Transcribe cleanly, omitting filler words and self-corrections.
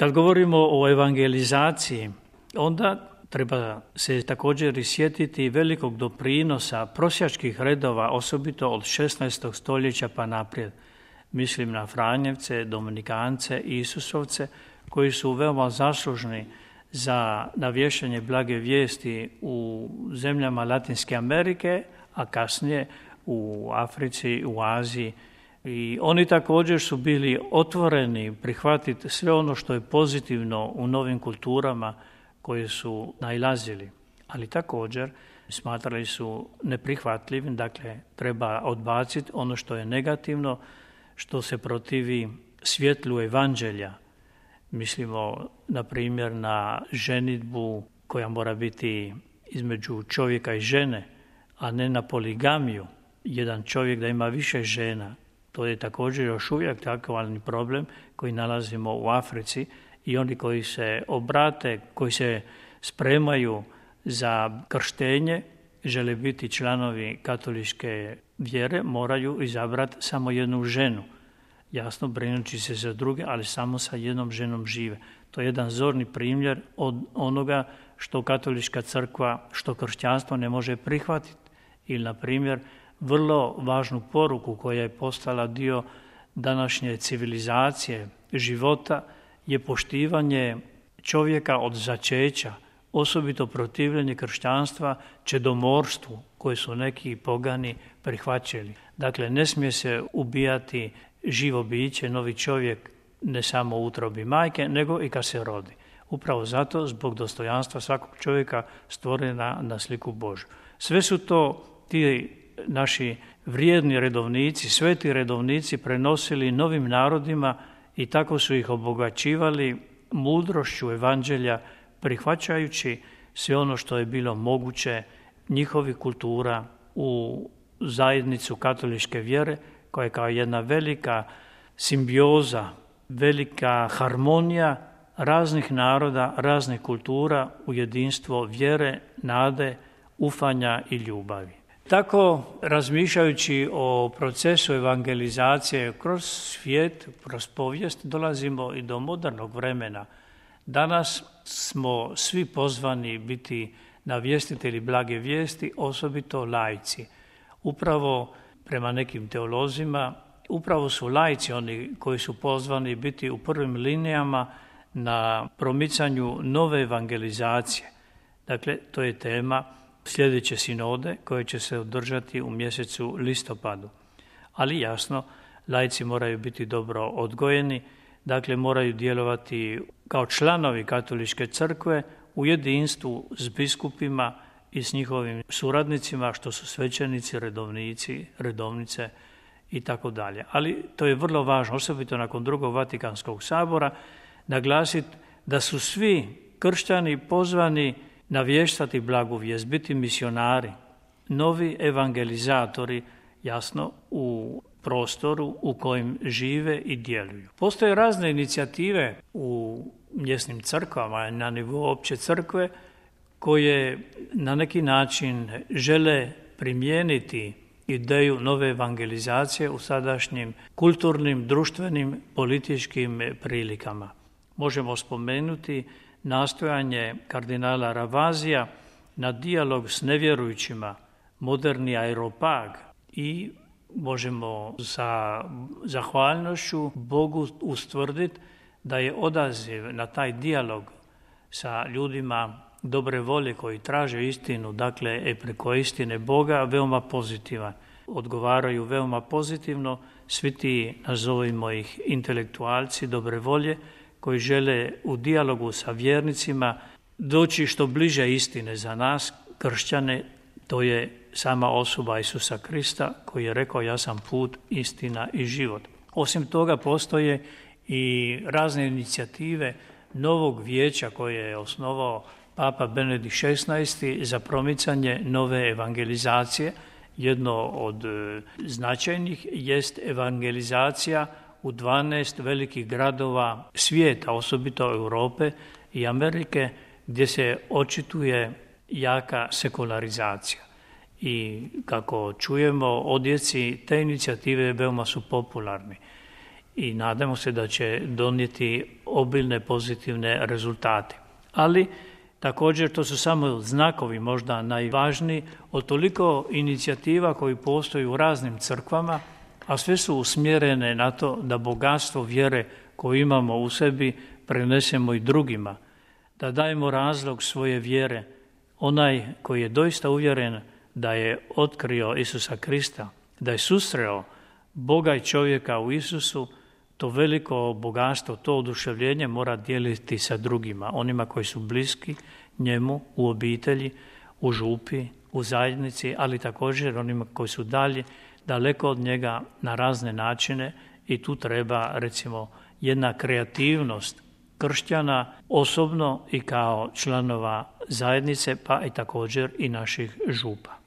Kad govorimo o evangelizaciji, onda treba se također i sjetiti velikog doprinosa prosjačkih redova, osobito od 16. stoljeća pa naprijed. Mislim na Franjevce, Dominikance i Isusovce, koji su veoma zaslužni za navješanje blage vijesti u zemljama Latinske Amerike, a kasnije u Africi, u Aziji. I oni također su bili otvoreni prihvatiti sve ono što je pozitivno u novim kulturama koje su nailazili. Ali također smatrali su neprihvatljivim, dakle treba odbaciti ono što je negativno, što se protivi svjetlu evanđelja. Mislimo, na primjer, na ženidbu koja mora biti između čovjeka i žene, a ne na poligamiju. Jedan čovjek da ima više žena. To je također još uvijek aktualni problem koji nalazimo u Africi i oni koji se obrate, koji se spremaju za krštenje, žele biti članovi katoličke vjere, moraju izabrati samo jednu ženu. Jasno, brinući se za druge, ali samo sa jednom ženom žive. To je jedan zorni primjer od onoga što katolička crkva, što kršćanstvo ne može prihvatiti. Ili, na primjer, vrlo važnu poruku koja je postala dio današnje civilizacije, života, je poštivanje čovjeka od začeća, osobito protivljenje kršćanstva čedomorstvu koje su neki pogani prihvaćali. Dakle, ne smije se ubijati živo biće, novi čovjek, ne samo u utrobi majke, nego i kad se rodi. Upravo zato, zbog dostojanstva svakog čovjeka stvorena na sliku Božju. Sve su to ti naši vrijedni redovnici, sveti redovnici prenosili novim narodima i tako su ih obogaćivali mudrošću evanđelja, prihvaćajući sve ono što je bilo moguće njihovih kultura u zajednicu katoličke vjere, koja je kao jedna velika simbioza, velika harmonija raznih naroda, raznih kultura u jedinstvo vjere, nade, ufanja i ljubavi. Tako, razmišljajući o procesu evangelizacije kroz svijet, kroz povijest, dolazimo i do modernog vremena. Danas smo svi pozvani biti navjestitelji blage vijesti, osobito laici. Upravo prema nekim teolozima, upravo su laici oni koji su pozvani biti u prvim linijama na promicanju nove evangelizacije. Dakle, to je tema sljedeće sinode koje će se održati u mjesecu listopadu. Ali jasno, laici moraju biti dobro odgojeni, dakle moraju djelovati kao članovi katoličke crkve u jedinstvu s biskupima i s njihovim suradnicima, što su svećenici, redovnici, redovnice i tako dalje. Ali to je vrlo važno, osobito nakon drugog Vatikanskog sabora, naglasiti da su svi kršćani pozvani navještati blagu vijest, biti misionari, novi evangelizatori, jasno, u prostoru u kojem žive i djeluju. Postoje razne inicijative u mjesnim crkvama, na nivou opće crkve, koje na neki način žele primijeniti ideju nove evangelizacije u sadašnjim kulturnim, društvenim, političkim prilikama. Možemo spomenuti nastojanje kardinala Ravazija na dijalog s nevjerujućima, moderni aeropag, i možemo sa zahvalnošću Bogu ustvrditi da je odaziv na taj dijalog sa ljudima dobre volje koji traže istinu, dakle preko istine Boga, veoma pozitivan. Odgovaraju veoma pozitivno svi ti, nazovimo ih, intelektualci dobre volje koji žele u dijalogu sa vjernicima doći što bliže istine za nas, kršćane. To je sama osoba Isusa Krista koji je rekao: ja sam put, istina i život. Osim toga postoje i razne inicijative novog vijeća koje je osnovao Papa Benedikt XVI za promicanje nove evangelizacije. Jedno od značajnih jest evangelizacija u 12 velikih gradova svijeta, osobito Europe i Amerike, gdje se očituje jaka sekularizacija. I kako čujemo, odjeci te inicijative veoma su popularni. i nadamo se da će donijeti obilne pozitivne rezultate. Ali također to su samo znakovi možda najvažniji od toliko inicijativa koji postoji u raznim crkvama, a sve su usmjerene na to da bogatstvo vjere koju imamo u sebi prenesemo i drugima, da dajemo razlog svoje vjere. Onaj koji je doista uvjeren da je otkrio Isusa Krista, da je susreo Boga i čovjeka u Isusu, to veliko bogatstvo, to oduševljenje mora dijeliti sa drugima, onima koji su bliski njemu u obitelji, u župi, u zajednici, ali također onima koji su daleko od njega na razne načine i tu treba recimo jedna kreativnost kršćana osobno i kao članova zajednice, pa i također i naših župa.